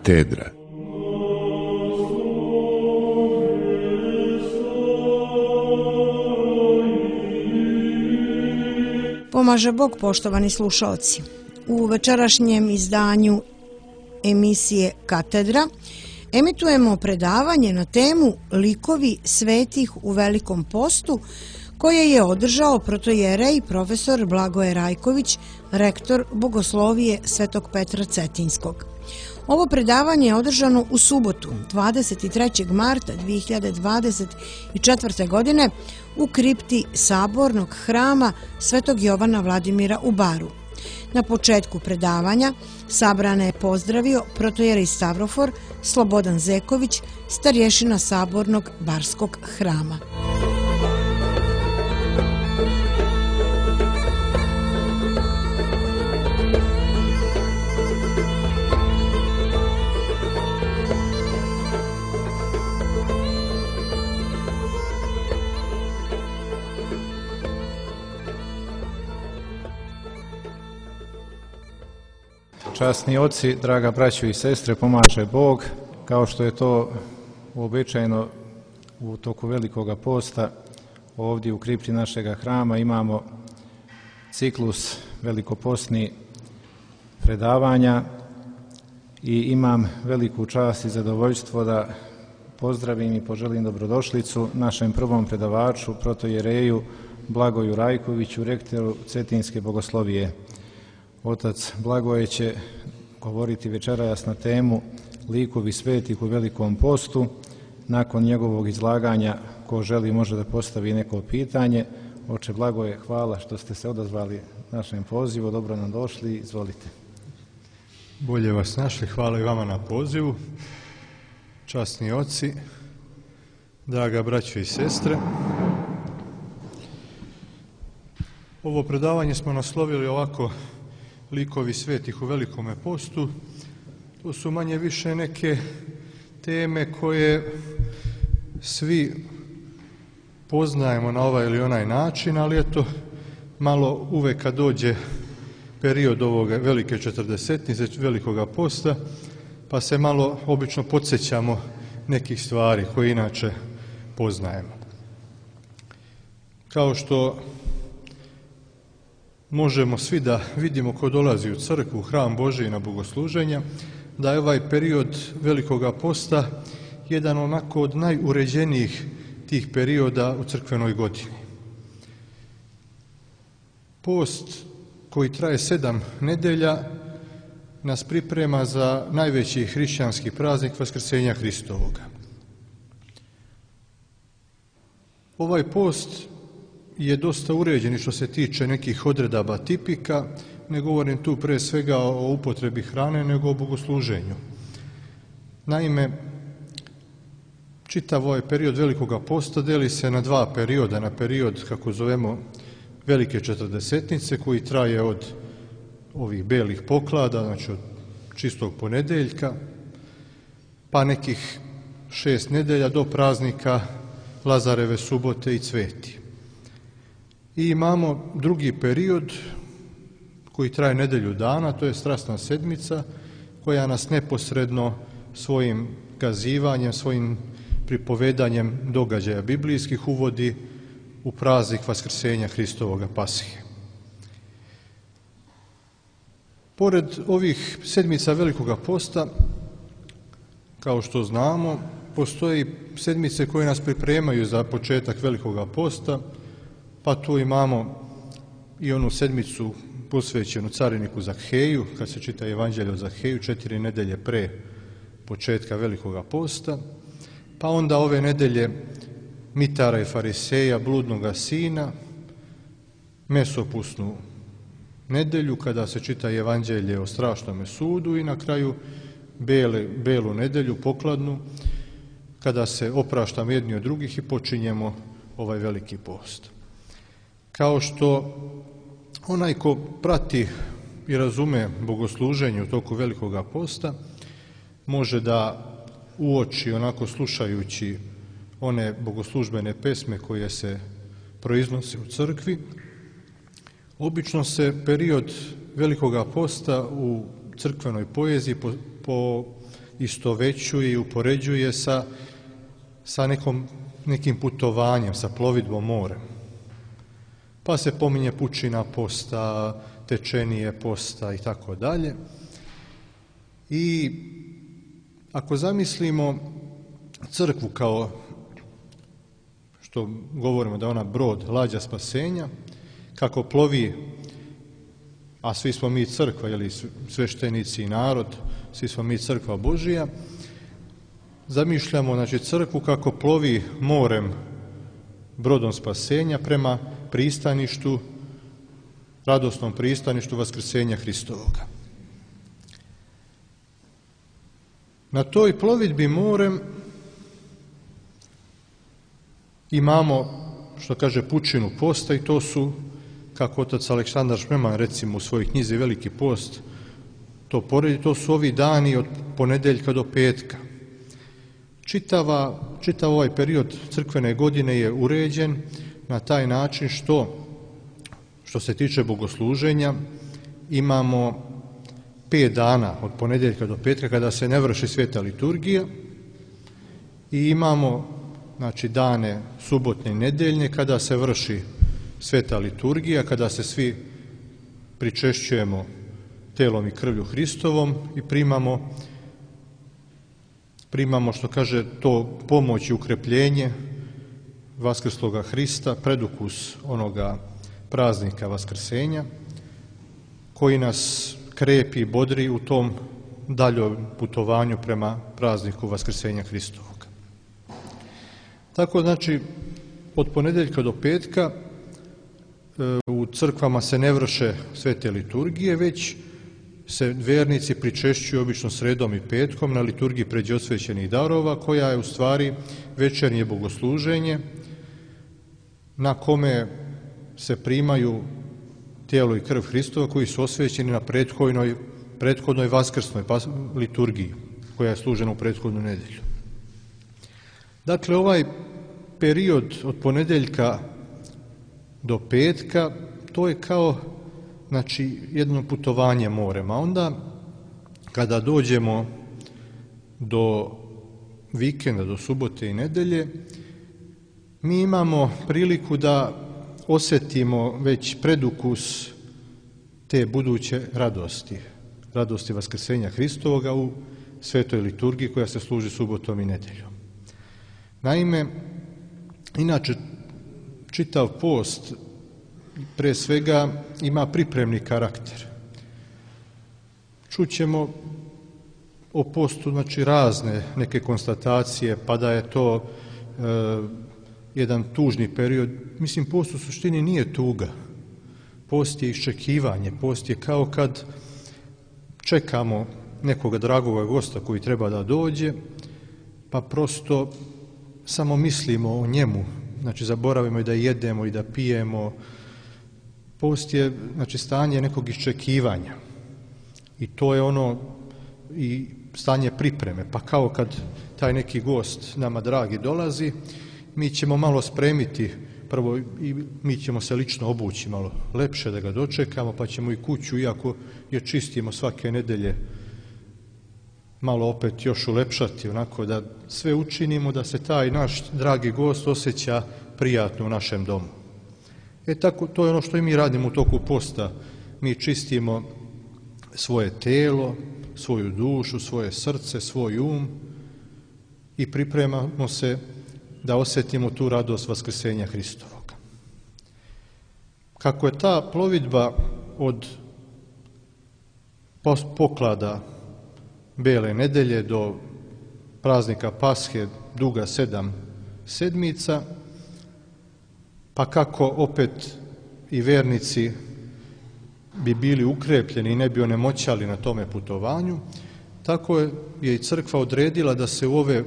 Katedra. Pomaže Bog, poštovani slušalci. U večerašnjem izdanju emisije Katedra emitujemo predavanje na temu Likovi svetih u Velikom postu, koje je održao protojerej profesor Blagoje Rajković, rektor Bogoslovije Svetog Petra Cetinjskog. Ovo predavanje je održano u subotu, 23. marta 2024. godine u kripti Sabornog hrama Svetog Jovana Vladimira u Baru. Na početku predavanja sabrane je pozdravio protojerej Stavrofor Slobodan Zeković, starješina Sabornog Barskog hrama. Časni oci, draga braćo i sestre, pomaže Bog. Kao što je to uobičajeno u toku Velikoga posta, ovdje u kripti našega hrama imamo ciklus velikopostni predavanja i imam veliku čast i zadovoljstvo da pozdravim i poželim dobrodošlicu našem prvom predavaču, protojereju Blagoju Rajkoviću, rektoru Cetinjske Bogoslovije. Otac Blagoje će govoriti večeras na temu Likovi svetih u Velikom postu. Nakon njegovog izlaganja, ko želi može da postavi neko pitanje. Oče Blagoje, hvala što ste se odazvali našem pozivu, dobro nam došli, izvolite. Bolje vas našli, hvala i vama na pozivu. Časni oci, draga braćo i sestre. Ovo predavanje smo naslovili ovako: Likovi svetih u Velikome postu. To su manje više neke teme koje svi poznajemo na ovaj ili onaj način, ali eto, malo uvek kad dođe period ovoga velike četrdesetnice, Velikoga posta, pa se malo obično podsjećamo nekih stvari koje inače poznajemo. Kao što možemo svi da vidimo ko dolazi u crkvu, u hram Božiji na bogosluženja, da je ovaj period Velikoga posta jedan onako od najuređenijih tih perioda u crkvenoj godini. Post koji traje 7 nedelja nas priprema za najveći hrišćanski praznik Vaskrsenja Hristovoga. Ovaj post je dosta uređen što se tiče nekih odredaba tipika. Ne govorim tu pre svega o upotrebi hrane, nego o bogosluženju. Naime, čitav ovaj period Velikoga posta deli se na 2 perioda. Na period, kako zovemo, Velike četrdesetnice, koji traje od ovih belih poklada, znači od čistog ponedeljka, pa nekih 6 nedelja do praznika Lazareve subote i Cveti. I imamo drugi period koji traje nedelju dana, to je Strasna sedmica, koja nas neposredno svojim kazivanjem, svojim pripovedanjem događaja biblijskih uvodi u praznik Vaskrsenja Hristovoga Pasihe. Pored ovih sedmica Velikoga posta, kao što znamo, postoji sedmice koje nas pripremaju za početak Velikoga posta, pa tu imamo i onu sedmicu posvećenu cariniku Zakheju, kad se čita Evanđelje o Zakheju, 4 nedelje pre početka Velikoga posta, pa onda ove nedelje Mitara i Fariseja, bludnoga sina, mesopusnu nedelju, kada se čita Evanđelje o strašnome sudu, i na kraju belu nedelju, pokladnu, kada se opraštamo jedni od drugih i počinjemo ovaj veliki post. Kao što onaj ko prati i razume bogosluženje u toku Velikoga posta može da uoči, onako slušajući one bogoslužbene pesme koje se proiznose u crkvi, obično se period Velikoga posta u crkvenoj poeziji istovećuje i upoređuje sa nekim putovanjem, sa plovidbom morem. Pa se pominje pučina posta, tečenije posta i tako dalje. I ako zamislimo crkvu kao što govorimo da je ona brod, lađa spasenja, kako plovi, a svi smo mi crkva, ili sveštenici i narod, svi smo mi crkva Božija, zamišljamo znači crkvu kako plovi morem, brodom spasenja prema pristaništu, radosnom pristaništu vaskrsenja Hristovoga. Na toj plovidbi morem imamo, što kaže, pučinu posta, i to su, kako otac Aleksandar Šmeman recimo u svojoj knjizi Veliki post to poredi, to su ovi dani od ponedeljka do petka. Čitav ovaj period crkvene godine je uređen na taj način što se tiče bogosluženja imamo 5 dana od ponedeljka do petka kada se ne vrši sveta liturgija i imamo znači dane subotne i nedeljne kada se vrši sveta liturgija, kada se svi pričešćujemo telom i krvlju Hristovom i primamo što kaže to pomoć i ukrepljenje vaskrsloga Hrista, predukus onoga praznika vaskrsenja koji nas krepi i bodri u tom daljom putovanju prema prazniku vaskrsenja Hristovog. Tako znači od ponedeljka do petka u crkvama se ne vrše svete liturgije, već se vernici pričešćuju obično sredom i petkom na liturgiji pređosvećenih darova, koja je u stvari večernje bogosluženje na kome se primaju tijelo i krv Hristova koji su osvećeni na prethodnoj vaskrsnoj liturgiji koja je služena u prethodnu nedelju. Dakle, ovaj period od ponedeljka do petka, to je kao znači jedno putovanje morem, a onda kada dođemo do vikenda, do subote i nedelje, mi imamo priliku da osjetimo već predukus te buduće radosti vaskrsenja Hristovoga u svetoj liturgiji koja se služi subotom i nedeljom. Naime, inače čitav post pre svega ima pripremni karakter. Čućemo o postu znači razne neke konstatacije, pa da je to jedan tužni period. Mislim, post u suštini nije tuga. Post je iščekivanje. Post je kao kad čekamo nekoga dragoga gosta koji treba da dođe, pa prosto samo mislimo o njemu. Znači, zaboravimo i da jedemo i da pijemo. Post je znači stanje nekog iščekivanja. I to je ono i stanje pripreme. Pa kao kad taj neki gost nama dragi dolazi, mi ćemo malo spremiti, prvo i mi ćemo se lično obući malo lepše da ga dočekamo, pa ćemo i kuću, iako je čistimo svake nedelje, malo opet još ulepšati, onako da sve učinimo da se taj naš dragi gost osjeća prijatno u našem domu. Tako, to je ono što i mi radimo u toku posta. Mi čistimo svoje telo, svoju dušu, svoje srce, svoj um i pripremamo se da osjetimo tu radost vaskrsenja Hristovoga. Kako je ta plovidba od poklada Bele nedelje do praznika Pashe duga 7 sedmica, pa kako opet i vernici bi bili ukrepljeni i ne bi onemoćali na tome putovanju, tako je i crkva odredila da se u ove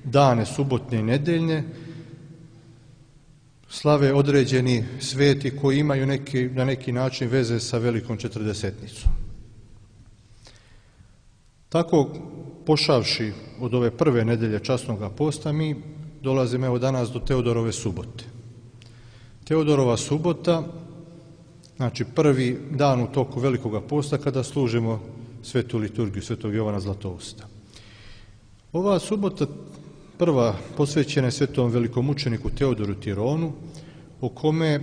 dane subotne i nedeljne slave određeni sveti koji imaju na neki način veze sa Velikom Četrdesetnicom. Tako, pošavši od ove prve nedelje časnoga posta, mi dolazimo evo danas do Teodorove subote. Teodorova subota, znači prvi dan u toku Velikoga posta kada služimo svetu liturgiju Svetog Jovana Zlatousta. Ova subota prva posvećena je svetom velikomučeniku Teodoru Tironu, o kome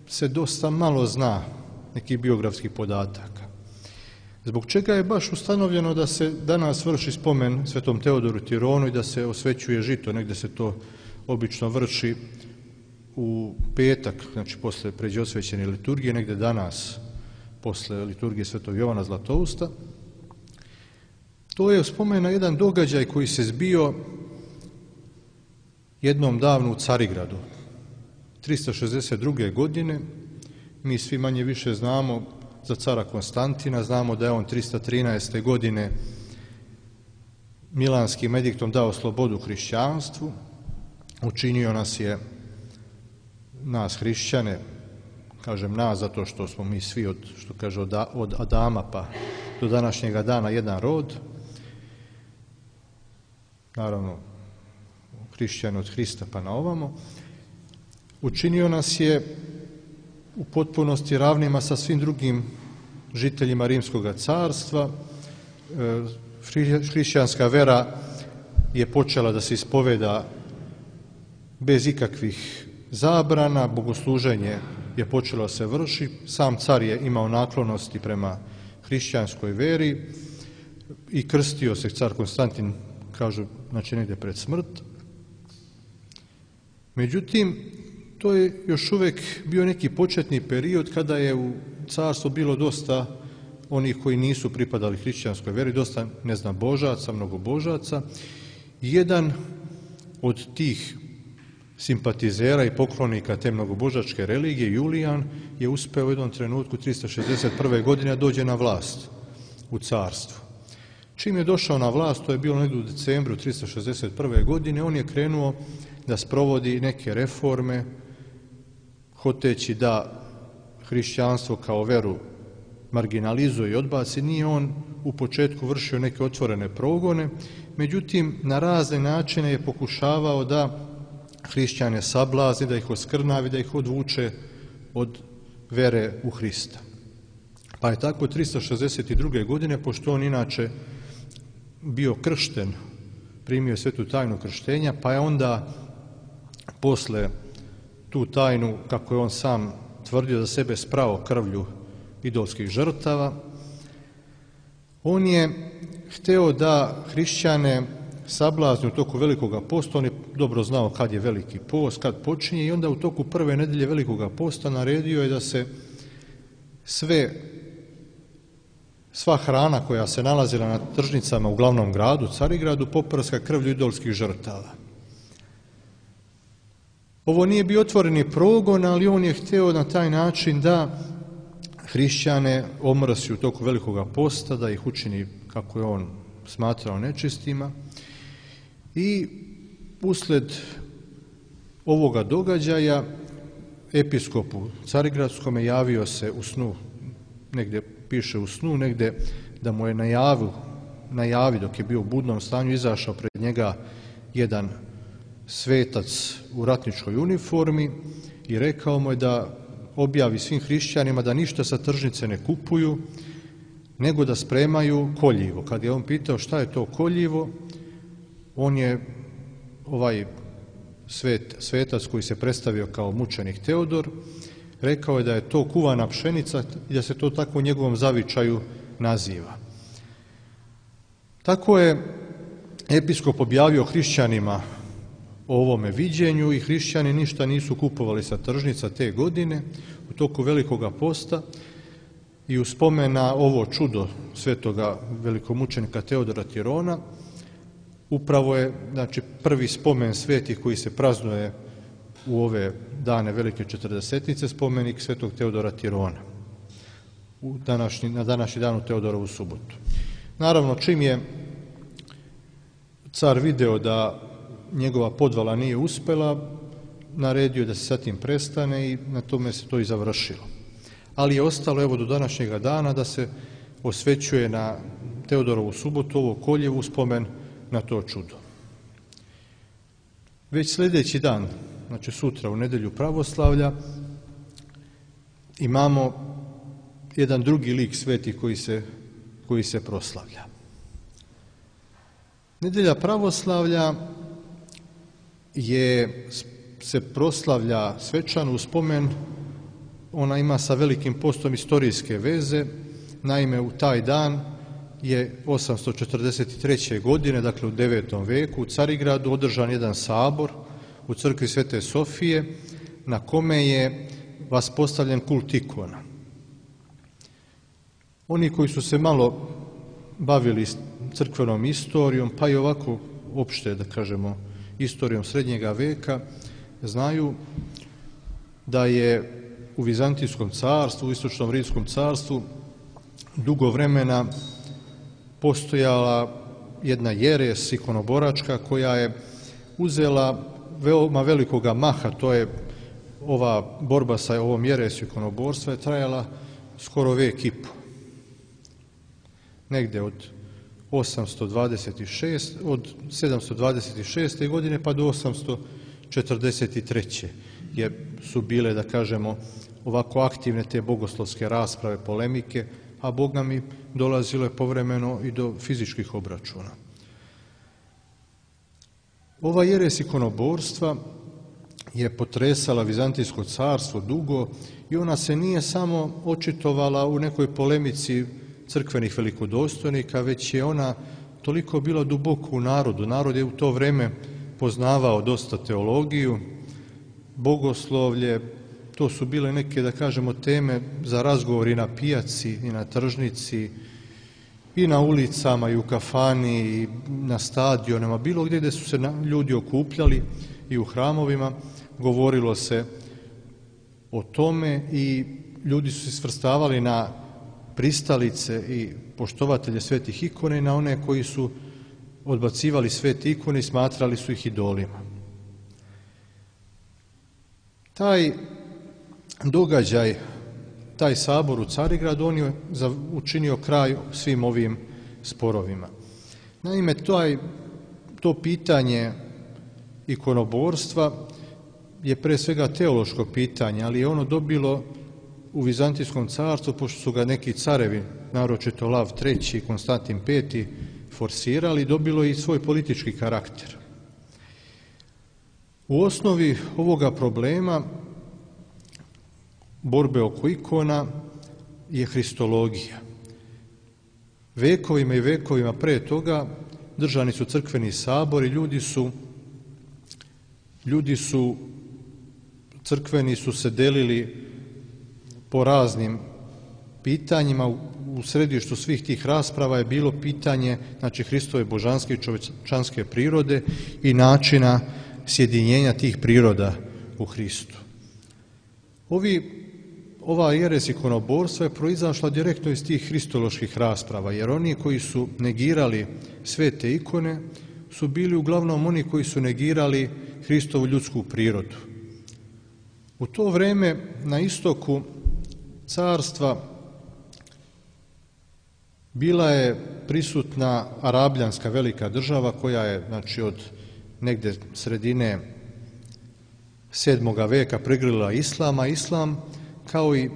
se dosta malo zna nekih biografskih podataka. Zbog čega je baš ustanovljeno da se danas vrši spomen svetom Teodoru Tironu i da se osvećuje žito, negdje se to obično vrši u petak, znači posle pređe osvećene liturgije, negdje danas posle liturgije svetog Jovana Zlatousta. To je spomen na jedan događaj koji se zbio jednom davno u Carigradu, 362. godine. Mi svi manje više znamo za cara Konstantina, znamo da je on 313. godine Milanskim ediktom dao slobodu hrišćanstvu, učinio nas hrišćane, kažem nas zato što smo mi svi od Adama pa do današnjega dana jedan rod, naravno hrišćani od Hrista pa na ovamo, učinio nas je u potpunosti ravnima sa svim drugim žiteljima Rimskog carstva. Hrišćanska vera je počela da se ispoveda bez ikakvih zabrana, bogosluženje je počelo da se vrši, sam car je imao naklonosti prema hrišćanskoj veri i krstio se car Konstantin, kažu, znači negdje pred smrt. Međutim, to je još uvijek bio neki početni period kada je u carstvu bilo dosta onih koji nisu pripadali hrišćanskoj veri, dosta neznabožaca, mnogobožaca. Jedan od tih simpatizera i poklonika te mnogobožačke religije, Julijan, je uspeo u jednom trenutku 361. godine da dođe na vlast u carstvu. Čim je došao na vlast, to je bilo negdje u decembru 361. godine, on je krenuo da sprovodi neke reforme, hoteći da hrišćanstvo kao veru marginalizuje i odbaci. Nije on u početku vršio neke otvorene progone, međutim na razne načine je pokušavao da hrišćane sablazni, da ih oskrnavi, da ih odvuče od vere u Hrista. Pa je tako 362. godine, pošto on inače bio kršten, primio svetu tajnu krštenja, pa je onda posle tu tajnu, kako je on sam tvrdio, za sebe sprao krvlju idolskih žrtava, on je hteo da hrišćane sablazni u toku Velikoga posta. On je dobro znao kad je Veliki post, kad počinje, i onda u toku prve nedelje Velikoga posta naredio je da se sva hrana koja se nalazila na tržnicama u glavnom gradu, Carigradu, poprska krvlju idolskih žrtava. Ovo nije bio otvoreni progon, ali on je hteo na taj način da hrišćane omrsi u toku Velikoga posta, da ih učini, kako je on smatrao, nečistima. I usled ovoga događaja episkopu Carigradskome javio se u snu, negdje piše u snu, negdje da mu je najavi dok je bio u budnom stanju, izašao pred njega jedan svetac u ratničkoj uniformi i rekao mu je da objavi svim hrišćanima da ništa sa tržnice ne kupuju, nego da spremaju koljivo. Kad je on pitao šta je to koljivo, on je, ovaj svetac koji se predstavio kao mučenik Teodor, rekao je da je to kuvana pšenica i da se to tako u njegovom zavičaju naziva. Tako je episkop objavio hrišćanima o ovome viđenju i hrišćani ništa nisu kupovali sa tržnica te godine u toku Velikoga posta, i u spomen na ovo čudo svetoga velikomučenika Teodora Tirona upravo je, znači, prvi spomen svetih koji se praznuje u ove dane Velike Četrdesetnice, spomenik svetog Teodora Tirona na današnji dan u Teodorovu subotu. Naravno, čim je car video da njegova podvala nije uspela, naredio je da se sa tim prestane i na tome se to i završilo. Ali je ostalo, evo, do današnjega dana da se osvećuje na Teodorovu subotu ovo koljevo u spomen na to čudo. Već sljedeći dan, znači sutra u nedjelju pravoslavlja, imamo jedan drugi lik sveti koji se proslavlja. Nedjelja pravoslavlja se proslavlja svečano u spomen, ona ima sa Velikim postom historijske veze. Naime, u taj dan je 843. godine, dakle u 9. veku, u Carigradu održan jedan sabor u crkvi Svete Sofije na kome je vaspostavljen kult ikona. Oni koji su se malo bavili crkvenom istorijom, pa i ovako opšte, da kažemo, istorijom srednjega veka, znaju da je u Vizantijskom carstvu, u Istočnom Rimskom carstvu dugo vremena postojala jedna jeres ikonoboračka koja je uzela veoma velikoga maha. To je ova borba sa ovom jeresu ikonoborstva je trajala skoro vek i po. Negde od 726. godine pa do 843. su bile, da kažemo, ovako aktivne te bogoslovske rasprave, polemike, a Boga mi dolazilo je povremeno i do fizičkih obračuna. Ova jeres ikonoborstva je potresala Vizantijsko carstvo dugo i ona se nije samo očitovala u nekoj polemici crkvenih velikodostojnika, već je ona toliko bila duboko u narodu. Narod je u to vreme poznavao dosta teologiju, bogoslovlje, to su bile neke, da kažemo, teme za razgovor i na pijaci, i na tržnici, i na ulicama, i u kafani, i na stadionima, bilo gdje su se ljudi okupljali i u hramovima, govorilo se o tome i ljudi su se svrstavali na pristalice i poštovatelje svetih ikona i na one koji su odbacivali svete ikone i smatrali su ih idolima. Taj događaj, taj sabor u Carigradu, on je učinio kraj svim ovim sporovima. Naime, to pitanje ikonoborstva je pre svega teološko pitanje, ali je ono dobilo u Vizantijskom carstvu, pošto su ga neki carevi, naročito Lav III i Konstantin V, forsirali, dobilo i svoj politički karakter. U osnovi ovoga problema borbe oko ikona je hristologija. Vekovima i vekovima pre toga držani su crkveni sabori, crkveni su se delili po raznim pitanjima. U središtu svih tih rasprava je bilo pitanje, znači, Hristove božanske i čovječanske prirode i načina sjedinjenja tih priroda u Hristu. Ova jeres ikonoborstva je proizašla direktno iz tih hristoloških rasprava, jer oni koji su negirali svete ikone su bili uglavnom oni koji su negirali Hristovu ljudsku prirodu. U to vreme na istoku carstva bila je prisutna Arabljanska velika država koja je, znači, od negde sredine 7. veka prigrlila islama. Islam, kao i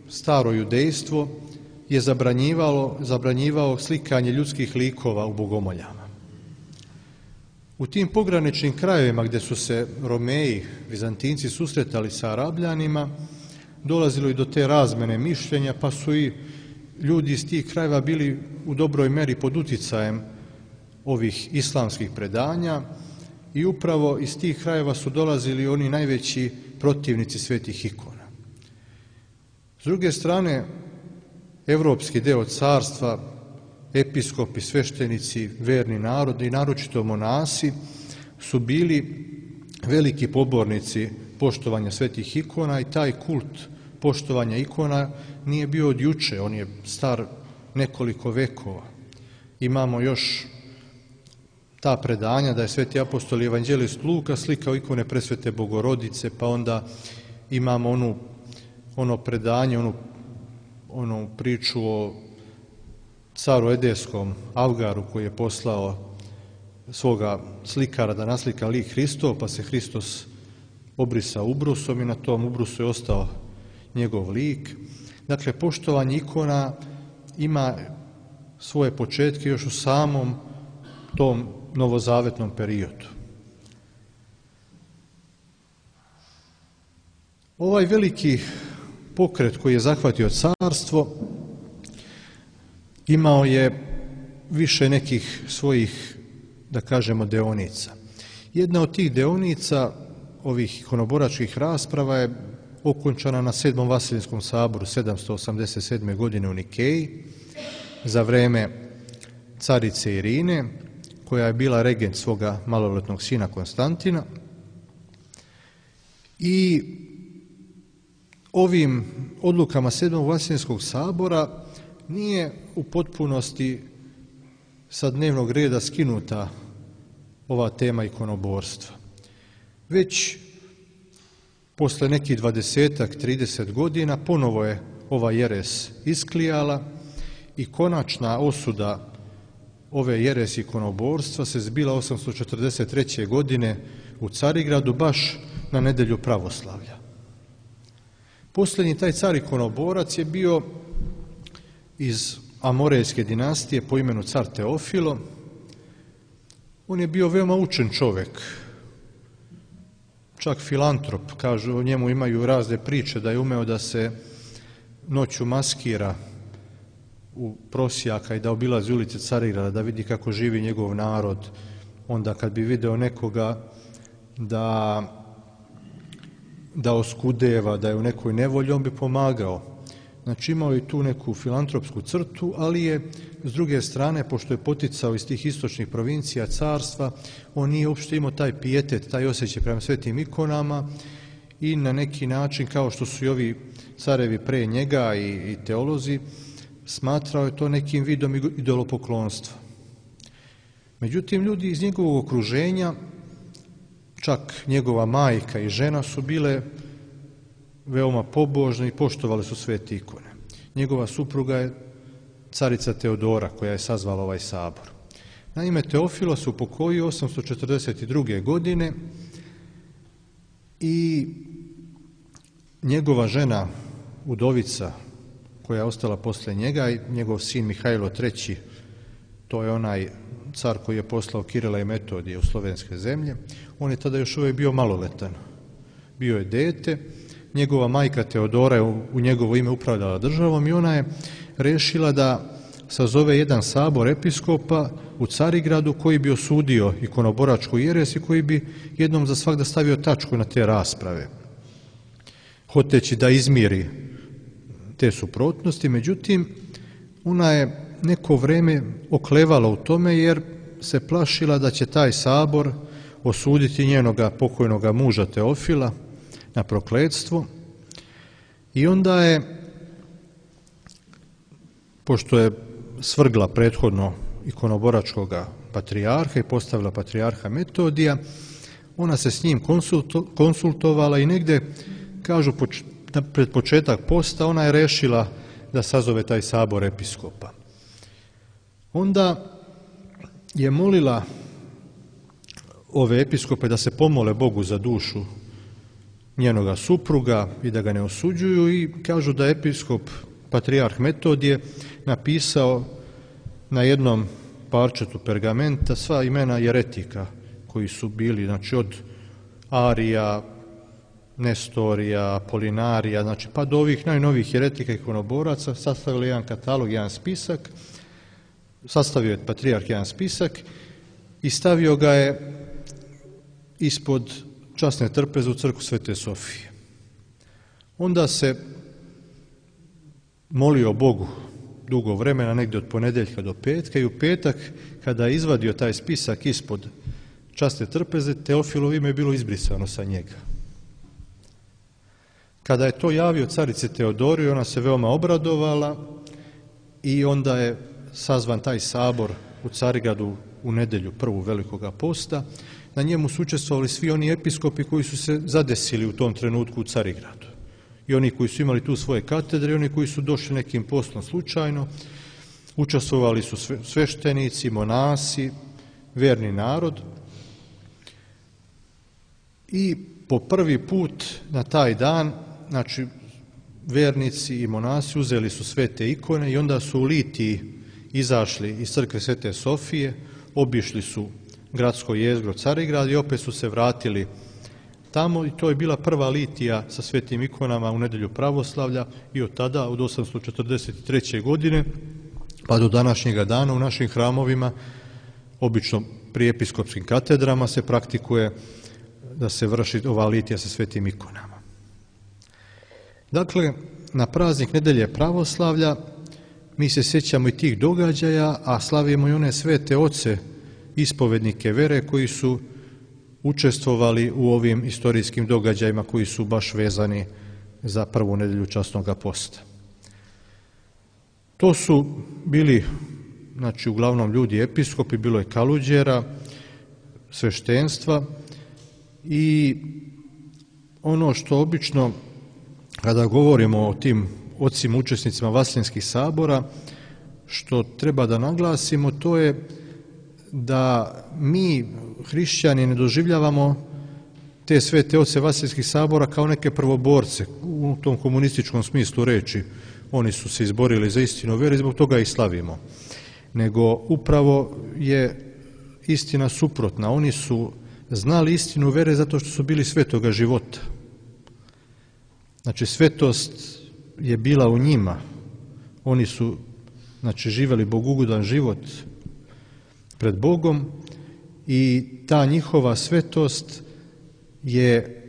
staro judejstvo, je zabranjivao slikanje ljudskih likova u bogomoljama. U tim pograničnim krajevima gdje su se Romeji, Vizantinci susretali sa Arabljanima, dolazilo i do te razmene mišljenja, pa su i ljudi iz tih krajeva bili u dobroj meri pod uticajem ovih islamskih predanja i upravo iz tih krajeva su dolazili oni najveći protivnici svetih ikona. S druge strane, evropski deo carstva, episkopi, sveštenici, verni narod i naročito monasi su bili veliki pobornici poštovanja svetih ikona i taj kult poštovanja ikona nije bio od juče, on je star nekoliko vekova. Imamo još ta predanja da je sveti apostol i evanđelist Luka slikao ikone presvete Bogorodice, pa onda imamo ono predanje, onu priču o caru Edeskom Avgaru koji je poslao svoga slikara da naslika lik Hristov, pa se Hristos obrisao ubrusom i na tom ubrusu je ostao njegov lik. Dakle, poštovanje ikona ima svoje početke još u samom tom novozavetnom periodu. Ovaj veliki pokret koji je zahvatio carstvo imao je više nekih svojih, da kažemo, deonica. Jedna od tih deonica ovih ikonoboračkih rasprava je okončana na 7. Vasilinskom saboru 787. godine u Nikeji za vreme carice Irine, koja je bila regent svoga maloletnog sina Konstantina. I ovim odlukama 7. Vasilinskog sabora nije u potpunosti sa dnevnog reda skinuta ova tema ikonoborstva. Već posle nekih 20-30 godina ponovo je ova jeres isklijala i konačna osuda ove jeresi ikonoborstva se zbila 843. godine u Carigradu, baš na nedelju pravoslavlja. Posljednji taj car ikonoborac je bio iz Amorejske dinastije po imenu car Teofilo. On je bio veoma učen čovjek, čak filantrop, kažu o njemu, imaju razne priče da je umeo da se noću maskira u prosjaka i da obilazi ulice Carigrada, da vidi kako živi njegov narod. Onda kad bi video nekoga da oskudeva, da je u nekoj nevolji, on bi pomagao. Znači imao je tu neku filantropsku crtu, ali je s druge strane, pošto je poticao iz tih istočnih provincija carstva, on nije uopšte imao taj pijetet, taj osjećaj prema svetim ikonama i na neki način, kao što su i ovi carevi pre njega i teolozi, smatrao je to nekim vidom idolopoklonstva. Međutim, ljudi iz njegovog okruženja, čak njegova majka i žena, su bile veoma pobožne i poštovali su svete ikone. Njegova supruga je carica Teodora, koja je sazvala ovaj sabor. Naime, Teofilo se upokojio 842. godine i njegova žena, udovica, koja je ostala posle njega, i njegov sin Mihajlo III, to je onaj car koji je poslao Kirila i Metodija u slovenske zemlje, on je tada još uvijek bio maloletan. Bio je dete, njegova majka Teodora je u njegovo ime upravljala državom i ona je rešila da sazove jedan sabor episkopa u Carigradu koji bi osudio ikonoboračku jeres i koji bi jednom za svagda stavio tačku na te rasprave, hoteći da izmiri te suprotnosti. Međutim, ona je neko vreme oklevala u tome jer se plašila da će taj sabor osuditi njenoga pokojnoga muža Teofila na prokletstvo. I onda je, pošto je svrgla prethodno ikonoboračkog patrijarha i postavila patrijarha Metodija, ona se s njim konsultovala i negde, kažu, pred početak posta ona je rešila da sazove taj sabor episkopa. Onda je molila ove episkope da se pomole Bogu za dušu njenoga supruga i da ga ne osuđuju, i kažu da je episkop patrijarh Metodije napisao na jednom parčetu pergamenta sva imena jeretika koji su bili, znači od Arija, Nestorija, Apolinarija, znači pa do ovih najnovijih jeretika ikonoboraca, sastavili jedan katalog, jedan spisak, sastavio je patrijarh jedan spisak i stavio ga je ispod časne trpeze u crkvu Svete Sofije. Onda se molio Bogu dugo vremena, negdje od ponedeljka do petka, i u petak kada je izvadio taj spisak ispod časne trpeze, Teofilovo ime je bilo izbrisano sa njega. Kada je to javio carici Teodori, ona se veoma obradovala i onda je sazvan taj sabor u Carigradu u nedelju prvu Velikoga posta. Na njemu su učestvovali svi oni episkopi koji su se zadesili u tom trenutku u Carigradu. I oni koji su imali tu svoje katedre, i oni koji su došli nekim poslom slučajno. Učestvovali su sveštenici, monasi, verni narod. I po prvi put na taj dan, znači, vernici i monasi uzeli su svete ikone i onda su u litiji izašli iz crkve Svete Sofije, obišli su gradsko jezgro Carigrad i opet su se vratili tamo i to je bila prva litija sa svetim ikonama u nedjelju pravoslavlja i od tada, od 843. godine pa do današnjega dana u našim hramovima, obično pri episkopskim katedrama se praktikuje da se vrši ova litija sa svetim ikonama. Dakle, na praznik nedjelje pravoslavlja mi se sjećamo i tih događaja, a slavimo i one svete oce, ispovednike vere koji su učestvovali u ovim istorijskim događajima koji su baš vezani za prvu nedjelju časnog posta. To su bili, znači, uglavnom ljudi episkopi, bilo je kaluđera, sveštenstva i ono što obično kada govorimo o tim ocima učesnicima Vaseljenskih sabora, što treba da naglasimo, to je da mi hrišćani ne doživljavamo te svete oce Vaseljenskih sabora kao neke prvoborce u tom komunističkom smislu reči. Oni su se izborili za istinu vere i zbog toga ih slavimo. Nego upravo je istina suprotna. Oni su znali istinu vere zato što su bili svetoga života. Znači, svetost je bila u njima. Oni su, znači, živjeli bogugodan život pred Bogom i ta njihova svetost je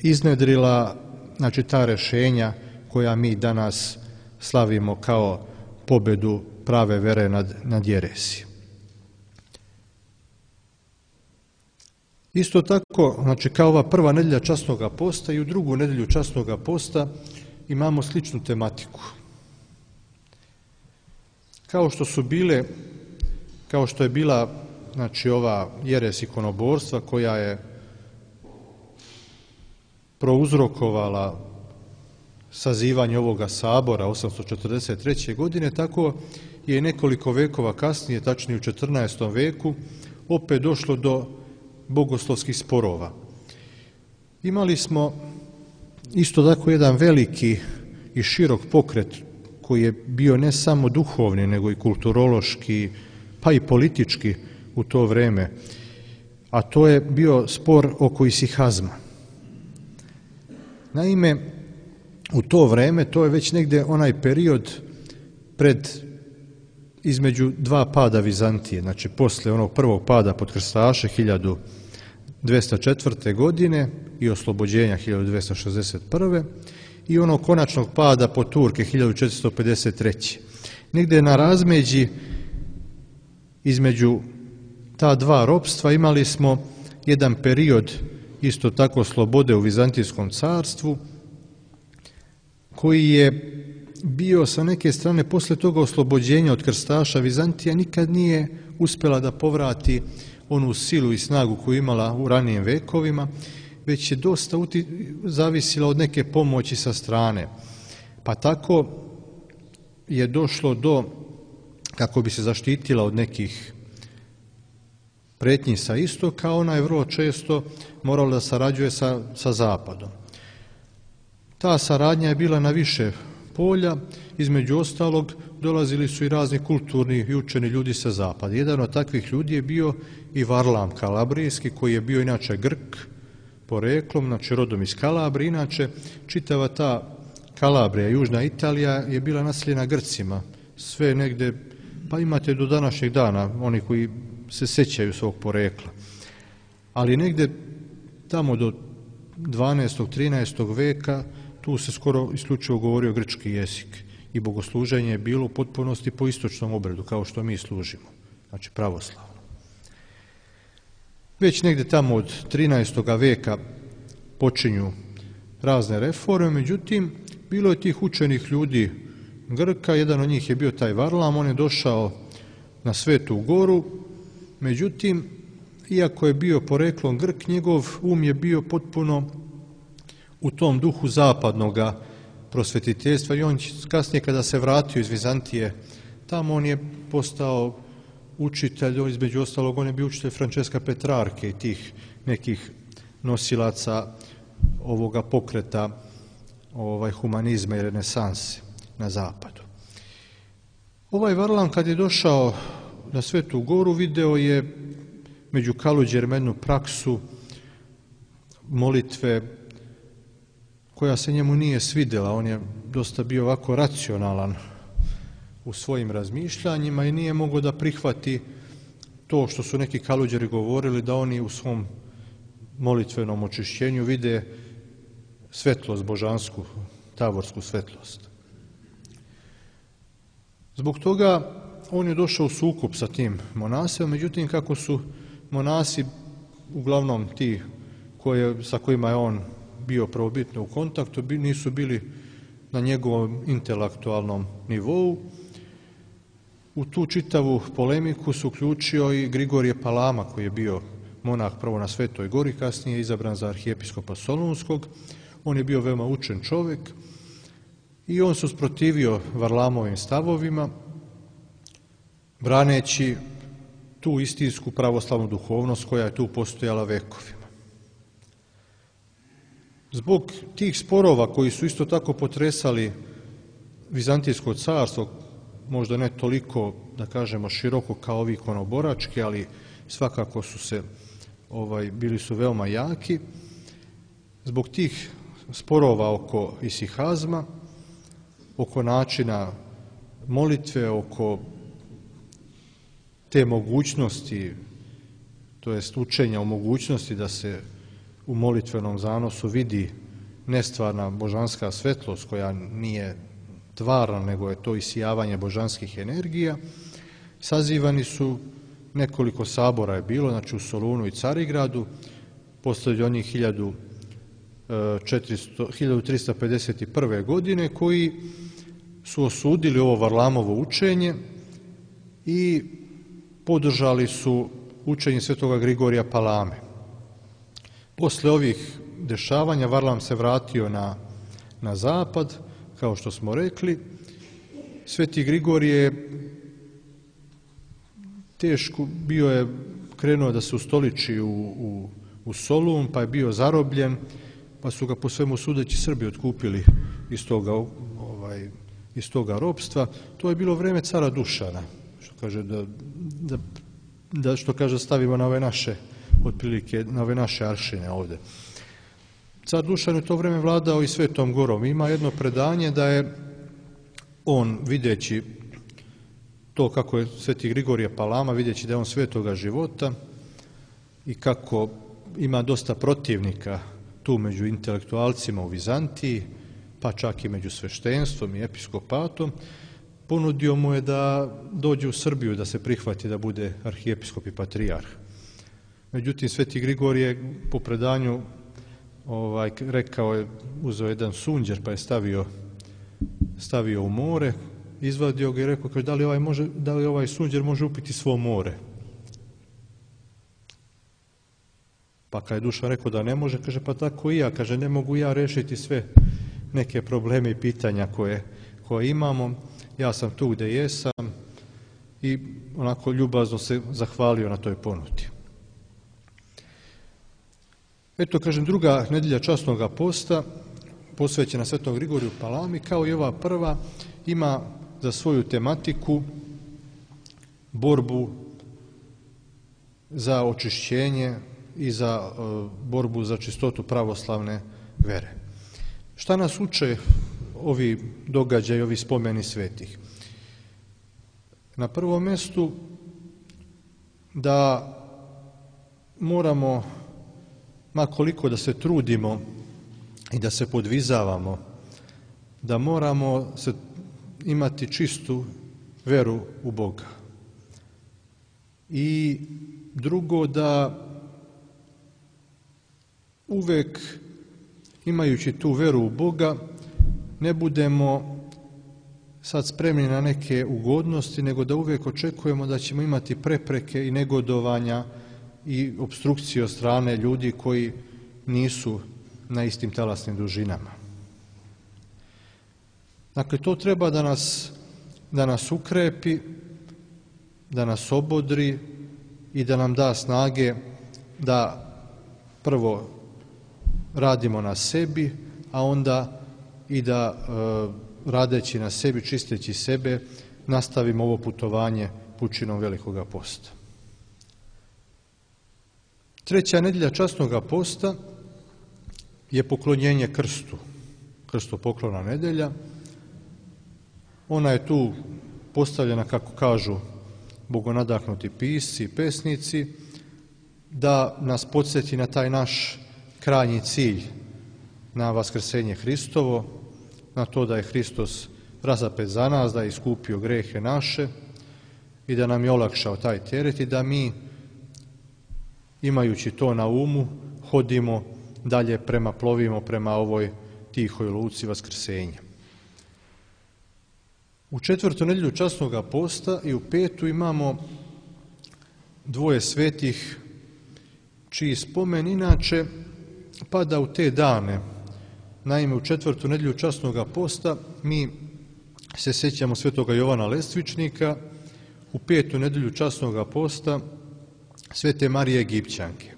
iznedrila, znači, ta rješenja koja mi danas slavimo kao pobedu prave vere nad jeresijom. Isto tako, znači, kao ova prva nedjelja časnoga posta i u drugu nedjelju časnoga posta imamo sličnu tematiku. Kao što je bila, znači, ova jeres ikonoborstva koja je prouzrokovala sazivanje ovoga sabora 843. godine, tako je nekoliko vekova kasnije, tačnije u 14. veku, opet došlo do bogoslovskih sporova. Imali smo isto tako jedan veliki i širok pokret koji je bio ne samo duhovni, nego i kulturološki, pa i politički u to vrijeme, a to je bio spor oko isihazma. Naime, u to vrijeme, to je već negdje onaj period između dva pada Vizantije, znači poslije onog prvog pada pod krstaše 1204. godine i oslobođenja 1261. i onog konačnog pada pod Turke 1453. Negdje na razmeđi između ta dva ropstva imali smo jedan period isto tako slobode u Vizantijskom carstvu koji je bio sa neke strane poslije toga oslobođenja od krstaša. Vizantija nikad nije uspjela da povrati onu silu i snagu koju imala u ranijim vekovima, već je dosta zavisila od neke pomoći sa strane. Pa tako je došlo do, kako bi se zaštitila od nekih prijetnji sa istoka, ona je vrlo često morala da sarađuje sa zapadom. Ta saradnja je bila na više polja, između ostalog dolazili su i razni kulturni i učeni ljudi sa zapada. Jedan od takvih ljudi je bio i Varlam Kalabrijski, koji je bio inače Grk poreklom, znači rodom iz Kalabrije. Inače, čitava ta Kalabrija, južna Italija, je bila naseljena Grcima. Sve negdje, pa imate do današnjeg dana, oni koji se sjećaju svog porekla. Ali negdje tamo do 12. 13. veka tu se skoro isključivo govorio grčki jezik i bogosluženje je bilo u potpunosti po istočnom obredu, kao što mi služimo, znači pravoslavno. Već negdje tamo od 13. veka počinju razne reforme, međutim, bilo je tih učenih ljudi Grka, jedan od njih je bio taj Varlam, on je došao na Svetu Goru, međutim, iako je bio poreklom Grk, njegov je bio potpuno u tom duhu zapadnoga prosvetiteljstva i on kasnije kada se vratio iz Vizantije, tamo on je postao učitelj, između ostalog on je bio učitelj Francesca Petrarke i tih nekih nosilaca ovoga pokreta humanizma i renesanse na zapadu. Ovaj Varlam kad je došao na Svetu Goru video je među Kaluđerima jednu praksu molitve koja se njemu nije svidjela. On je dosta bio ovako racionalan u svojim razmišljanjima i nije mogao da prihvati to što su neki Kaluđeri govorili, da oni u svom molitvenom očišćenju vide svetlost božansku, tavorsku svetlost. Zbog toga on je došao u sukob sa tim monasima, međutim kako su monasi uglavnom ti sa kojima je on bio prvobitno u kontaktu, nisu bili na njegovom intelektualnom nivou. U tu čitavu polemiku su uključio i Grigorije Palama, koji je bio monah prvo na Svetoj Gori, kasnije izabran za arhijepiskopa Solunskog. On je bio veoma učen čovjek i on se usprotivio Varlamovim stavovima, braneći tu istinsku pravoslavnu duhovnost koja je tu postojala vekovima. Zbog tih sporova koji su isto tako potresali Vizantijsko carstvo, možda ne toliko, da kažemo, široko kao ovi ikonoborački, ali svakako su se, bili su veoma jaki. Zbog tih sporova oko isihazma, oko načina molitve, oko te mogućnosti, to jest učenja o mogućnosti da se u molitvenom zanosu vidi nestvarna božanska svetlost koja nije tvarna, nego je to isijavanje božanskih energija. Sazivani su, nekoliko sabora je bilo, znači u Solunu i Carigradu, poslije od njih 1351. godine, koji su osudili ovo Varlamovo učenje i podržali su učenje svetoga Grigorija Palame. Posle ovih dešavanja Varlam se vratio na zapad, kao što smo rekli. Sveti Grigorije je teško, bio je krenuo da se ustoliči u Solun, pa je bio zarobljen, pa su ga po svemu sudeći Srbi otkupili iz toga ropstva. To je bilo vreme cara Dušana, što kaže što kaže stavimo na ove naše, otprilike na ove naše aršine ovdje. Car Dušan je u to vreme vladao i Svetom Gorom. Ima jedno predanje da je on, videći to kako je sveti Grigorije Palama, videći da je on svetoga života i kako ima dosta protivnika tu među intelektualcima u Vizantiji, pa čak i među sveštenstvom i episkopatom, ponudio mu je da dođe u Srbiju, da se prihvati da bude arhijepiskop i patrijarh. Međutim, sveti Grigorije po predanju rekao je, uzeo jedan sunđer pa je stavio u more, izvadio ga i rekao, kaže, da li ovaj sunđer može upiti svo more? Pa kad je Dušan rekao da ne može, kaže, pa tako i ja, kaže, ne mogu ja rešiti sve neke probleme i pitanja koje imamo, ja sam tu gdje jesam, i onako ljubazno se zahvalio na toj ponudi. Eto, kažem, druga nedjelja časnoga posta, posvećena svetom Grigoriju Palami, kao i ova prva, ima za svoju tematiku borbu za očišćenje i za borbu za čistotu pravoslavne vere. Šta nas uče ovi događaji, ovi spomeni svetih? Na prvom mjestu da moramo, ma koliko da se trudimo i da se podvizavamo, da moramo imati čistu veru u Boga. I drugo, da uvek, imajući tu veru u Boga, ne budemo sad spremni na neke ugodnosti, nego da uvijek očekujemo da ćemo imati prepreke i negodovanja i opstrukcije od strane ljudi koji nisu na istim talasnim dužinama. Dakle, to treba da nas ukrepi, da nas obodri i da nam da snage da prvo radimo na sebi, a onda i da radeći na sebi, čisteći sebe, nastavimo ovo putovanje pučinom Velikoga posta. Treća nedjelja časnoga posta je poklonjenje krstu, krstopoklona nedjelja. Ona je tu postavljena, kako kažu bogonadahnuti pisci i pesnici, da nas podsjeti na taj naš krajnji cilj, na vaskrsenje Hristovo, na to da je Hristos razapet za nas, da je iskupio grehe naše i da nam je olakšao taj teret i da mi, imajući to na umu, hodimo dalje plovimo prema ovoj tihoj luci vaskrsenja. U četvrtu nedjelju časnoga posta i u petu imamo dvoje svetih čiji spomen inače pada u te dane. Naime, u četvrtu nedjelju časnoga posta mi se sjećamo svetoga Jovana Lestvičnika, u petu nedjelju časnoga posta svete Marije Egipćanke.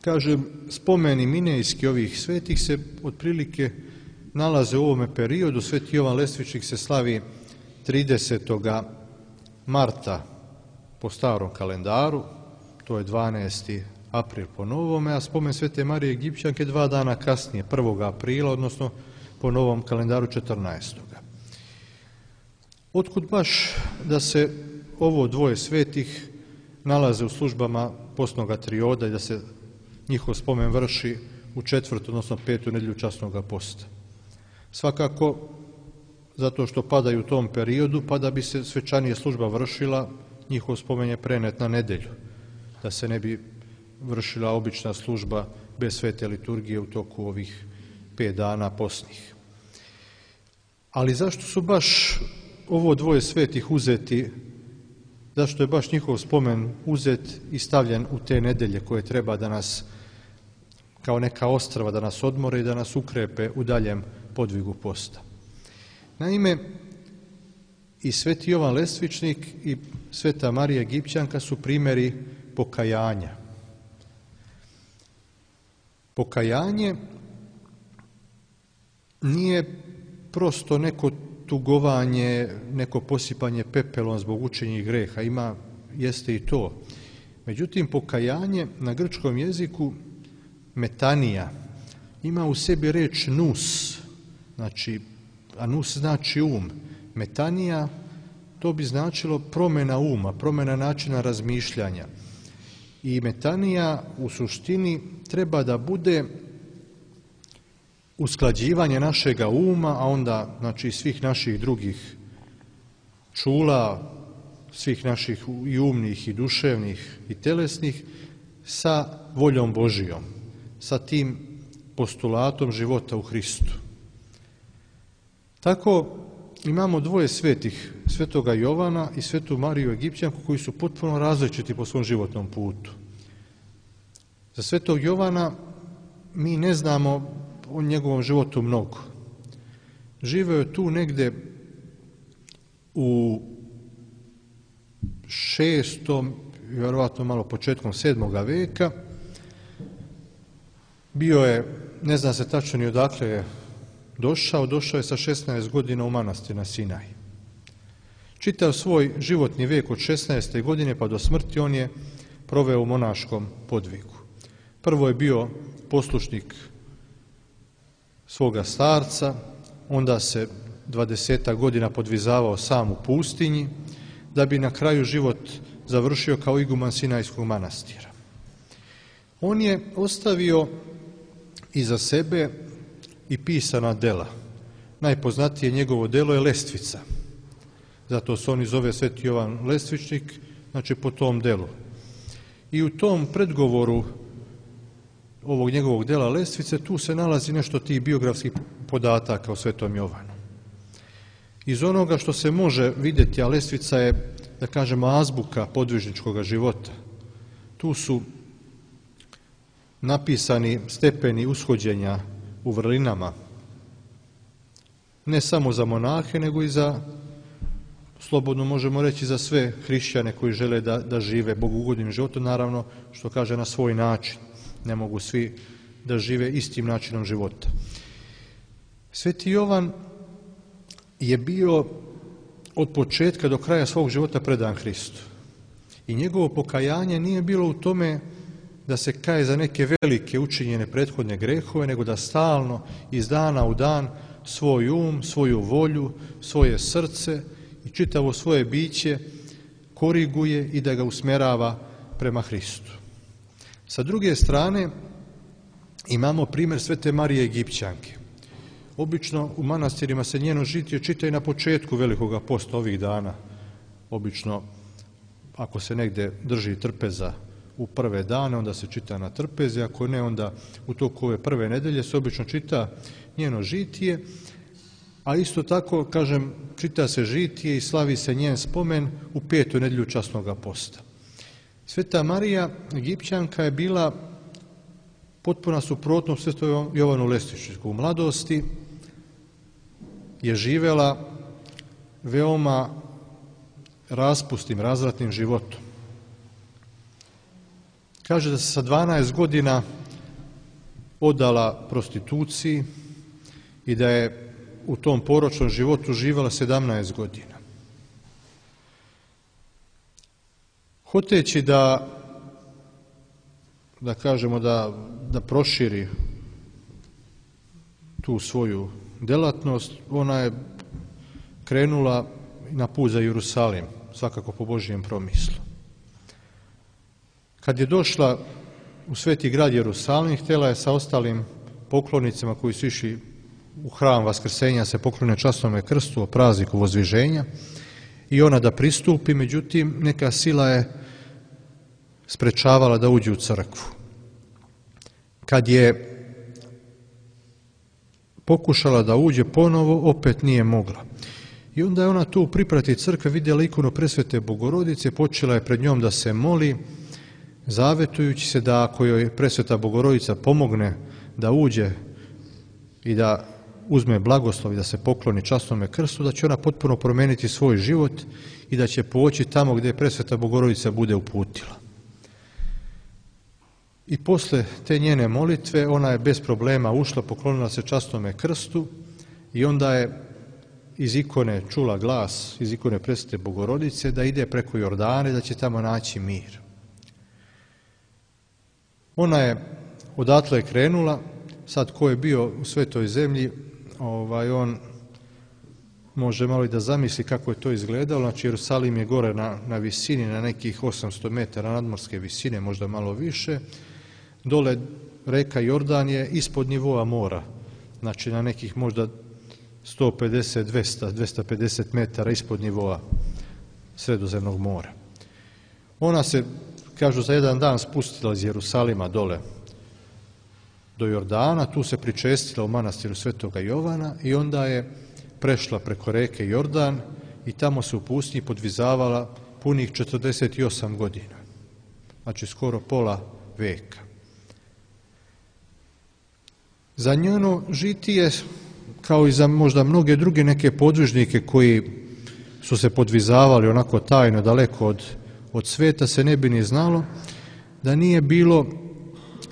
Kažem, spomeni minejski ovih svetih se otprilike nalaze u ovome periodu. Sveti Jovan Lestvičnik se slavi 30. marta po starom kalendaru, to je 12. april po novome, a spomen svete Marije Egipćanke 2 dana kasnije, 1. aprila, odnosno po novom kalendaru 14. Otkud baš da se ovo dvoje svetih nalaze u službama postnoga trioda i da se njihov spomen vrši u četvrtu, odnosno petu nedjelju časnoga posta? Svakako zato što padaju u tom periodu, pa da bi se svečanije služba vršila, njihov spomen je prenet na nedjelju, da se ne bi vršila obična služba bez svete liturgije u toku ovih 5 dana postnih. Ali zašto su baš ovo dvoje svetih uzeti, zašto je baš njihov spomen uzet i stavljen u te nedjelje koje treba da nas, kao neka ostrva, da nas odmore i da nas ukrepe u daljem podvigu posta? Naime, i sveti Jovan Lestvičnik i sveta Marija Egipćanka su primjeri pokajanja. Pokajanje nije prosto neko tugovanje, neko posipanje pepelom zbog učinjenih greha, jeste i to. Međutim, pokajanje na grčkom jeziku, metanija, ima u sebi reč nous, a nous znači um. Metanija, to bi značilo promjena uma, promjena načina razmišljanja. I metanija u suštini treba da bude usklađivanje našega uma, a onda svih naših drugih čula, svih naših i umnih i duševnih i telesnih sa voljom Božijom, sa tim postulatom života u Hristu. Tako imamo dvoje svetih, svetoga Jovana i svetu Mariju Egipćanku, koji su potpuno različiti po svom životnom putu. Za svetog Jovana mi ne znamo o njegovom životu mnogo. Živeo je tu negde u 6. vjerovatno malo početkom 7. veka. Bio je, ne zna se tačno ni odakle je došao je sa 16 godina u manastir na Sinaj. Čitav svoj životni vijek od 16. godine pa do smrti on je proveo u monaškom podvigu. Prvo je bio poslušnik svoga starca, onda se 20 godina podvizavao sam u pustinji, da bi na kraju život završio kao iguman Sinajskog manastira. On je ostavio iza sebe i pisana dela. Najpoznatije njegovo delo je Lestvica. Zato se on i zove sveti Jovan Lestvičnik, po tom delu. I u tom predgovoru ovog njegovog dela Lestvice tu se nalazi nešto tih biografskih podataka o svetom Jovanu. Iz onoga što se može vidjeti, a Lestvica je, da kažemo, azbuka podvižničkog života, tu su napisani stepeni ushođenja u vrlinama, ne samo za monahe, nego i za, slobodno možemo reći, za sve hrišćane koji žele da žive bogugodnim životom, naravno, što kaže, na svoj način. Ne mogu svi da žive istim načinom života. Sveti Jovan je bio od početka do kraja svog života predan Hristu. I njegovo pokajanje nije bilo u tome da se kaje za neke velike učinjene prethodne grehove, nego da stalno iz dana u dan svoj um, svoju volju, svoje srce i čitavo svoje biće koriguje i da ga usmjerava prema Hristu. Sa druge strane imamo primjer Svete Marije Egipćanke. Obično u manastirima se njeno žitije čita i na početku Velikoga posta ovih dana. Obično ako se negdje drži trpeza u prve dane, onda se čita na trpezi, ako ne, onda u toku ove prve nedelje se obično čita njeno žitije, a isto tako, kažem, čita se žitije i slavi se njen spomen u 5. nedjelju časnoga posta. Sveta Marija Egipćanka je bila potpuna suprotnost Svetom Jovanu Lestišiću. U mladosti je živjela veoma raspustim, razvratnim životom. Kaže da se sa 12 godina odala prostituciji i da je u tom poročnom životu živjela 17 godina. Hoteći da kažemo da proširi tu svoju delatnost, ona je krenula na put za Jerusalim, svakako po Božijem promislu. Kad je došla u sveti grad Jerusalim, htjela je sa ostalim poklonicima koji su išli u hram Vaskrsenja se poklone časnome krstu o prazniku Vozdviženja i ona da pristupi, međutim neka sila je sprečavala da uđe u crkvu. Kad je pokušala da uđe ponovo, opet nije mogla. I onda je ona tu u priprati crkve vidjela ikonu Presvete Bogorodice, počela je pred njom da se moli, zavetujući se da ako joj Presveta Bogorodica pomogne da uđe i da uzme blagoslov i da se pokloni časnome krstu, da će ona potpuno promijeniti svoj život i da će poći tamo gdje Presveta Bogorodica bude uputila. I posle te njene molitve ona je bez problema ušla, poklonila se časnome krstu i onda je iz ikone čula glas, iz ikone Presvete Bogorodice, da ide preko Jordana i da će tamo naći mir. Ona je odatle krenula, sad ko je bio u Svetoj zemlji, on može malo i da zamisli kako je to izgledalo. Znači Jerusalim je gore na visini, na nekih 800 metara nadmorske visine, možda malo više. Dole reka Jordan je ispod nivoa mora, znači na nekih možda 150, 200, 250 metara ispod nivoa Sredozemnog mora. Ona se, kažu, za jedan dan spustila iz Jerusalima dole do Jordana, tu se pričestila u manastiru Svetoga Jovana i onda je prešla preko reke Jordan i tamo se u pustinji podvizavala punih 48 godina, znači skoro pola veka. Za njeno žitije, kao i za možda mnoge druge neke podvižnike koji su se podvizavali onako tajno daleko od sveta, se ne bi ni znalo da nije bilo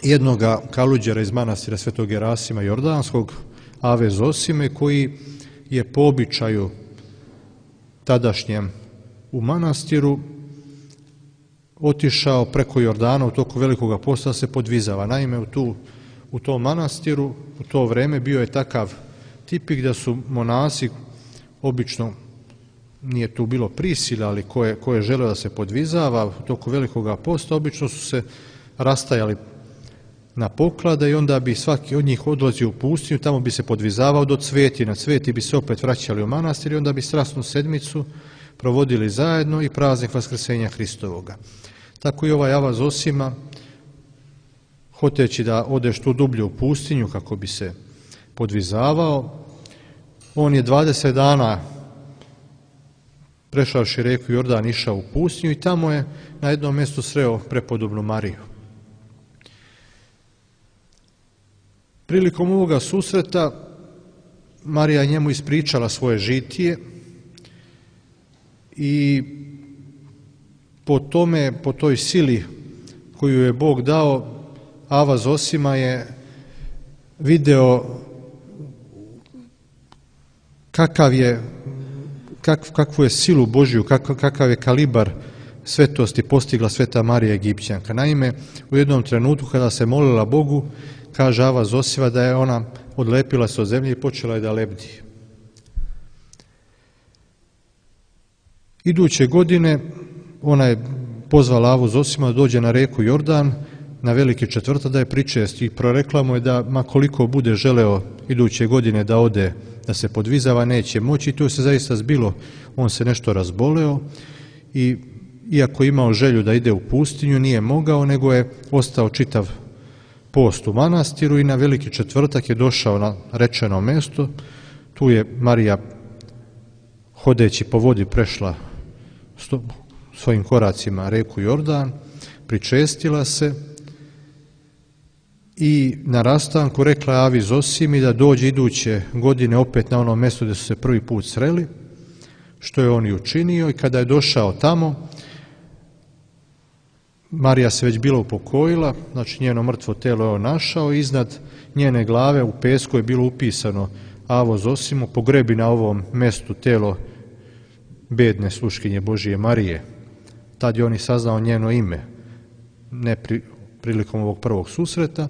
jednoga kaluđera iz manastira Svetog Gerasima Jordanskog, Ave Zosime, koji je po običaju tadašnjem u manastiru otišao preko Jordana u toku Velikoga posta da se podvizava. Naime, u tom manastiru u to vrijeme bio je takav tipik da su monasi, obično nije tu bilo prisile, ali ko je želeo da se podvizava u toku Velikoga posta, obično su se rastajali na poklade i onda bi svaki od njih odlazio u pustinju, tamo bi se podvizavao do Cveti, na Cveti bi se opet vraćali u manastir i onda bi strasnu sedmicu provodili zajedno i praznik Vaskrsenja Hristovoga. Tako i ovaj Ava Zosima, hoteći da ode što dublje u pustinju kako bi se podvizavao, on je 20 dana prešavši reku Jordan išao u pustinju i tamo je na jednom mjestu sreo prepodobnu Mariju. Prilikom ovoga susreta Marija je njemu ispričala svoje žitije i po toj sili koju je Bog dao, Ava Zosima je video kakvu je silu Božju, kakav je kalibar svetosti postigla sveta Marija Egipćanka. Naime, u jednom trenutku kada se molila Bogu, kaže Ava Zosima da je ona odlepila se od zemlje i počela je da lebdi. Iduće godine ona je pozvala Avu Zosima da dođe na reku Jordan na veliki četvrtak da je pričesti i prorekla mu je da ma koliko bude želeo iduće godine da ode, da se podvizava, neće moći. I to se zaista zbilo. On se nešto razboleo i iako je imao želju da ide u pustinju, nije mogao, nego je ostao čitav post u manastiru i na veliki četvrtak je došao na rečeno mesto. Tu je Marija hodeći po vodi prešla svojim koracima reku Jordan, pričestila se i na rastanku rekla Avi Zosimi da dođe iduće godine opet na ono mjesto gdje su se prvi put sreli, što je on i učinio. I kada je došao tamo, Marija se već bila upokojila, znači njeno mrtvo telo je on našao, iznad njene glave u pesku je bilo upisano Avo Zosimo, pogrebi na ovom mjestu telo bedne sluškinje Božije Marije. Tad je on i saznao njeno ime, ne prilikom ovog prvog susreta.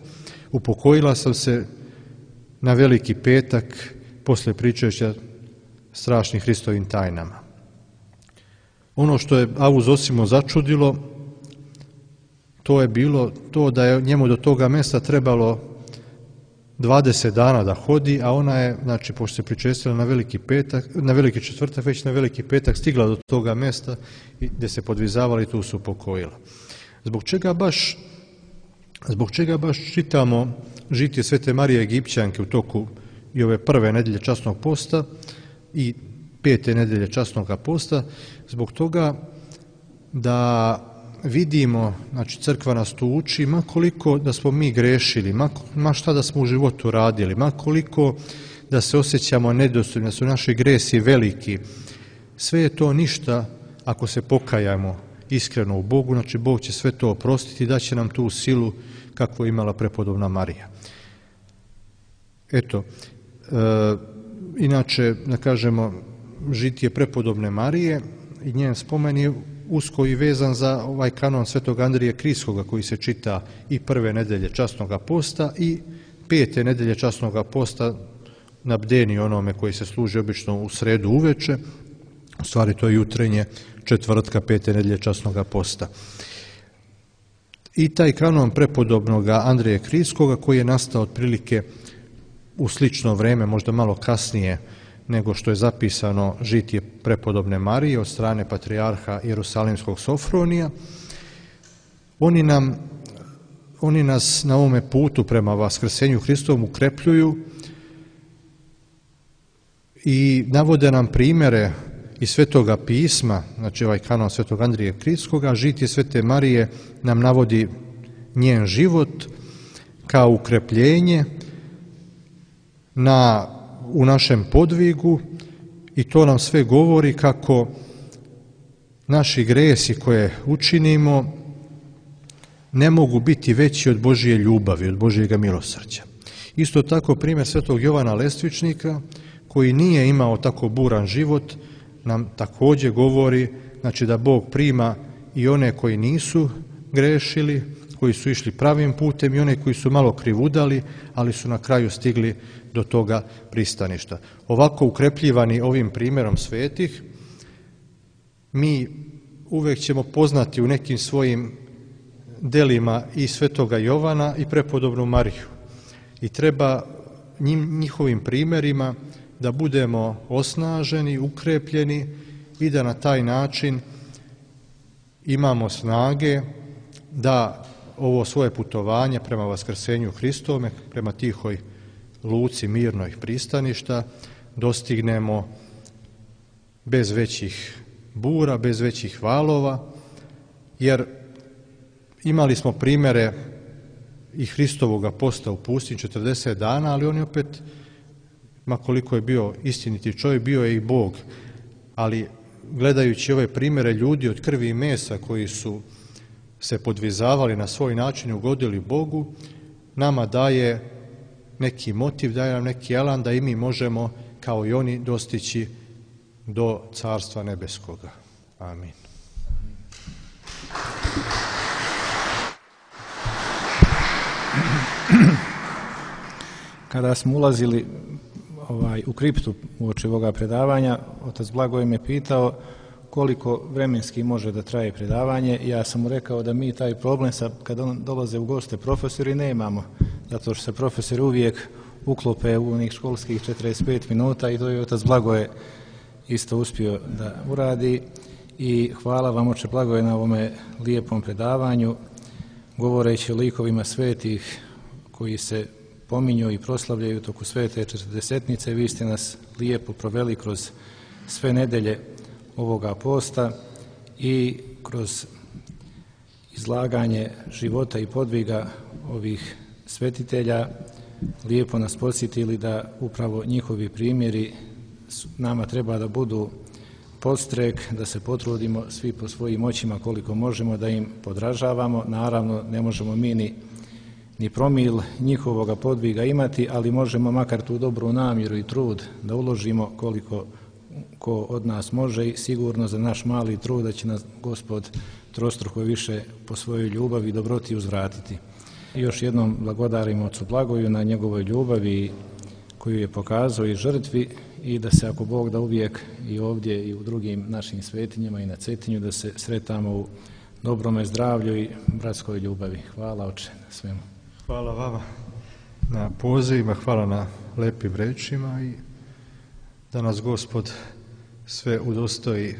Upokojila sam se na veliki petak poslije pričajuća strašnim Hristovim tajnama. Ono što je Avu Zosimu začudilo, to je bilo to da je njemu do toga mjesta trebalo 20 dana da hodi, a ona je, znači, pošto se pričestila na veliki četvrtak, već na veliki petak stigla do toga mjesta gdje se podvizavala i tu se upokojila. Zbog čega baš čitamo žitije svete Marije Egipćanke u toku i ove prve nedelje časnog posta i 5. nedelje časnog posta? Zbog toga da vidimo, znači crkva nas tu uči, ma koliko da smo mi grešili, ma šta da smo u životu radili, ma koliko da se osjećamo nedostojni, da su naši gresi veliki, sve je to ništa ako se pokajamo iskreno u Bogu, znači Bog će sve to oprostiti i daće nam tu silu kakvu je imala prepodobna Marija. Eto, inače, da kažemo, žitije prepodobne Marije i njen spomen je usko i vezan za ovaj kanon svetog Andrije Krijskoga koji se čita i prve nedelje časnog posta i 5. nedelje časnog posta na bdeni onome koji se služi obično u sredu uveče, u stvari to je jutrenje četvrtka 5. nedelje časnog posta. I taj kanon prepodobnog Andrije Krijskoga koji je nastao otprilike u slično vrijeme, možda malo kasnije nego što je zapisano žitije prepodobne Marije od strane patrijarha Jerusalimskog Sofronija. Oni nas na ovome putu prema Vaskrsenju Hristovom ukrepljuju i navode nam primjere iz Svetoga pisma, znači ovaj kanon svetog Andrije Krijskoga. Žitije svete Marije nam navodi njen život kao ukrepljenje u našem podvigu i to nam sve govori kako naši gresi koje učinimo ne mogu biti veći od Božije ljubavi, od Božijega milosrđa. Isto tako primjer svetog Jovana Lestvičnika koji nije imao tako buran život nam također govori, znači, da Bog prima i one koji nisu grešili, koji su išli pravim putem i one koji su malo krivudali, ali su na kraju stigli do toga pristaništa. Ovako ukrepljivani ovim primjerom svetih, mi uvijek ćemo poznati u nekim svojim delima i svetoga Jovana i prepodobnu Mariju. I treba njihovim primjerima da budemo osnaženi, ukrepljeni i da na taj način imamo snage da ovo svoje putovanje prema Vaskrsenju Hristove, prema tihoj luci mirnoj pristaništa dostignemo bez većih bura, bez većih valova, jer imali smo primjere i Hristovoga posta u pustinji 40 dana, ali on je opet, ma koliko je bio istiniti čovjek, bio je i Bog. Ali gledajući ove primjere ljudi od krvi i mesa koji su se podvizavali na svoj način i ugodili Bogu, nama daje neki motiv, daje nam neki elan da i mi možemo kao i oni dostići do Carstva nebeskoga. Amin. Kada smo ulazili u kriptu uoči ovoga predavanja, otac Blagoje me pitao koliko vremenski može da traje predavanje. Ja sam mu rekao da mi taj problem kada dolaze u goste profesori nemamo, zato što se profesori uvijek uklope u onih školskih 45 minuta i to je otac Blagoje isto uspio da uradi. I hvala vam, oče Blagoje, na ovome lijepom predavanju, govoreći o likovima svetih koji se pominju i proslavljaju toku svete četrdesetnice. Vi ste nas lijepo proveli kroz sve nedelje ovoga posta i kroz izlaganje života i podviga ovih svetitelja lijepo nas podsjetili da upravo njihovi primjeri nama treba da budu podstrek, da se potrudimo svi po svojim moćima koliko možemo da im podražavamo. Naravno, ne možemo mi ni promil njihovoga podviga imati, ali možemo makar tu dobru namjeru i trud da uložimo koliko ko od nas može i sigurno za naš mali trud da će nas Gospod trostruko više po svojoj ljubavi i dobroti uzvratiti. I još jednom blagodarimo ocu Blagoju na njegovoj ljubavi koju je pokazao i žrtvi i da se, ako Bog da, uvijek i ovdje i u drugim našim svetinjama i na Cetinju da se sretamo u dobrome zdravlju i bratskoj ljubavi. Hvala, oče, na svemu. Hvala vama na pozivima, hvala na lepim rečima i da nas Gospod sve udostoji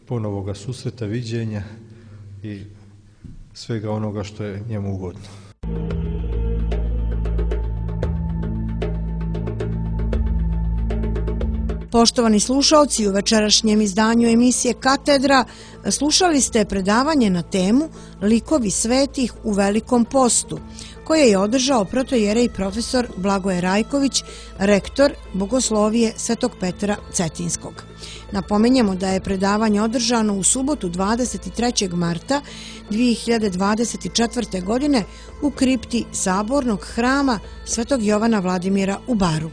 ponovoga susreta, viđenja i svega onoga što je njemu ugodno. Poštovani slušaoci, u večerašnjem izdanju emisije Katedra slušali ste predavanje na temu Likovi svetih u Velikom postu, koje je održao protojerej profesor Blagoje Rajković, rektor Bogoslovije Svetog Petra Cetinskog. Napominjemo da je predavanje održano u subotu 23. marta 2024. godine u kripti Sabornog hrama Svetog Jovana Vladimira u Baru.